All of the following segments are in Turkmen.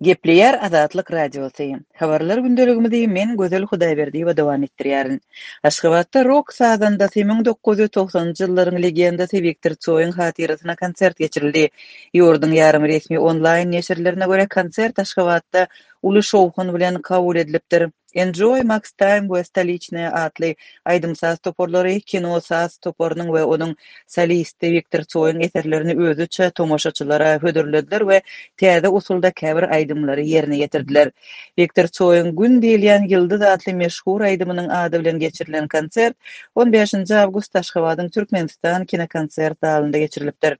Gepleýär Azatlyk Radiosy. Habarlar gündeligimizi men Gözel Hudaýberdiýewa dowam etdirýärin. Aşgabatda rok sazandasy 1990-njy ýyllaryň legendasy Wiktor Tsoýyň hatyrasyna konsert geçirildi. Ýurduň ýarym resmi onlaýn neşirlerine görä konsert Aşgabatda uly şowhun bilen kabul edilipdir. Enjoy, Max Time we Stoliçnaýa atly aýdym-saz toparlary kino saz toparynyň we onuň solisti Wiktor Tsoýyň eserlerini özüçe tomaşaçylara hödürlediler we täze usulda käbir aýdymlary ýerine ýetirdiler. Wiktor Tsoýyň Gün diýilýän ýyldyz atly meşhur aýdymynyň ady bilen geçirilen konsert on bäşinji awgustda Aşgabadyň Türkmenistan kinokonsert zalynda geçirilipdir.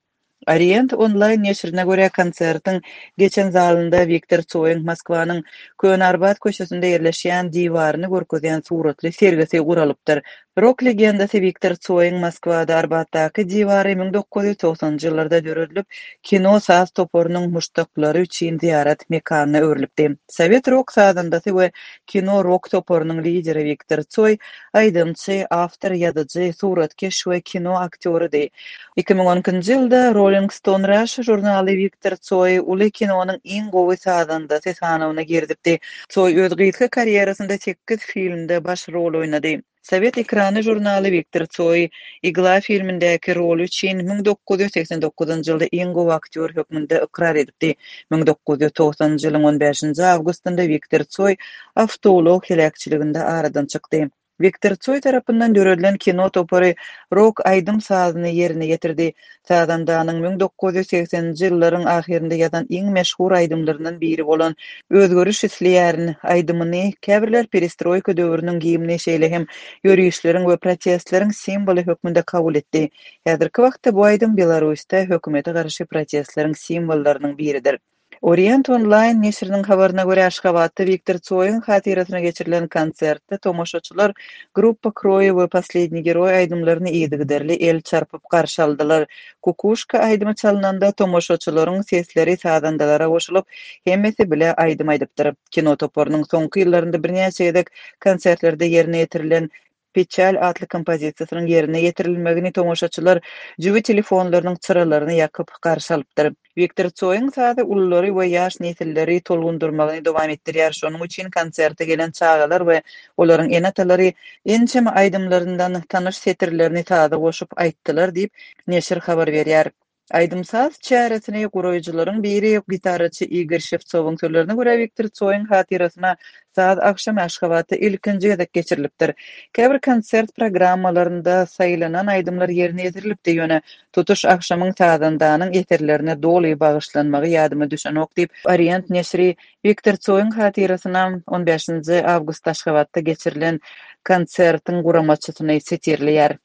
Orient onlaýn neşirine görä, konsertiň geçen zalynda Wiktor Tsoýyň Moskwanyň Köne Arbat köçesinde ýerleşýän diwaryny görkezýän suratly sergisi guralypdyr. Rok legendasy Wiktor Tsoýyň Moskwada Arbatdaky diwary 1990-njy ýyllarda döredilip, kino saz toparynyň muşdaklary üçin zyýarat mekanyna öwrülipdi. Sowet rok sazandasy we kino rok toparynyň lideri Wiktor Tsoý aýdymçy, awtor, ýazyjy, suratkeş we kino aktýorydy. 2012-nji ýylda Rolling Stone Russia žurnaly Wiktor Tsoýy uly kinonyň iň gowy sazandasy sanawyna girizipdi. Tsoý öz gysga karýerasynda sekiz filmde baş rol oýnady. Sowet ekrany žurnaly Wiktor Tsoýy Igla filmindäki roly üçin 1989-njy ýylda iň gowy aktýor hökmünde ykrar edipdi. 1990-njy ýylyň on bäşinji awgustynda Wiktor Tsoý awtoulag heläkçiliginde aradan çykdy. Wiktor Tsoý tarapyndan döredilen kino topary rok aýdym-sazyny ýerine ýetirdi. Sazandanyň 1980-nji ýyllaryň ahyrynda ýazan iň meşhur aýdymlaryndan biri bolan Özgeriş isleýärin aýdymyny käbirler perestroýka döwrüniň gimni, şeýle hem ýörişleriň we protestleriň simwoly hökmünde kabul etdi. Häzirki wagtda bu aýdym Belarusda hökümete garşy protestleriň simwollarynyň biridir. Orient Online neşiriniň habaryna görä, Aşgabatda Wiktor Tsoýyň hatyrasyna geçirilen konsertde tomaşaçylar Gruppa Kroýi we Posledniý geroý aýdymlaryny yzygiderli el çarpyp garşy aldylar. Kukuşka aýdymy çalnanda, tomaşaçylaryň sesleri sazandalara goşulyp, hemmesi bile aýdym aýdypdyr. Kino toparynyň soňky ýyllarynda birnäçe gezek konsertlerde ýerine ýetirilen Peçal atly kompozisiýasynyň ýerine ýetirilmegini tomaşaçylar jübi telefonlarynyň çyralaryny ýakyp garşy alypdyr. Wiktor Tsoýyň sazy ululary we ýaş nesilleri tolgundyrmagyny dowam etdirýär, şonuň üçin konserte gelen çagalar we olaryň ene-atalary ençeme aýdymlaryndan tanyş setirlerini saza goşup aýtdylar diýip, neşir habar berýär. Aýdym-saz çäresini guraýjylaryň biri, gitaraçy Igor Şewtsowyň sözlerine görä, Wiktor Tsoýyň hatyrasyna saz agşamy Aşgabatda ilkinji gezek geçirilipdir. Käbir konsert programmalarynda saýlanan aýdymlar ýerine ýetirilipdi, ýöne tutuş agşamyň sazandanyň eserlerine doly bagyşlanmagy ýadyma düşenok diýip, Orient neşiri Wiktor Tsoýyň hatyrasyna on bäşinji awgustda Aşgabatda geçirilen konsertiň guramaçysyny sitirleýär.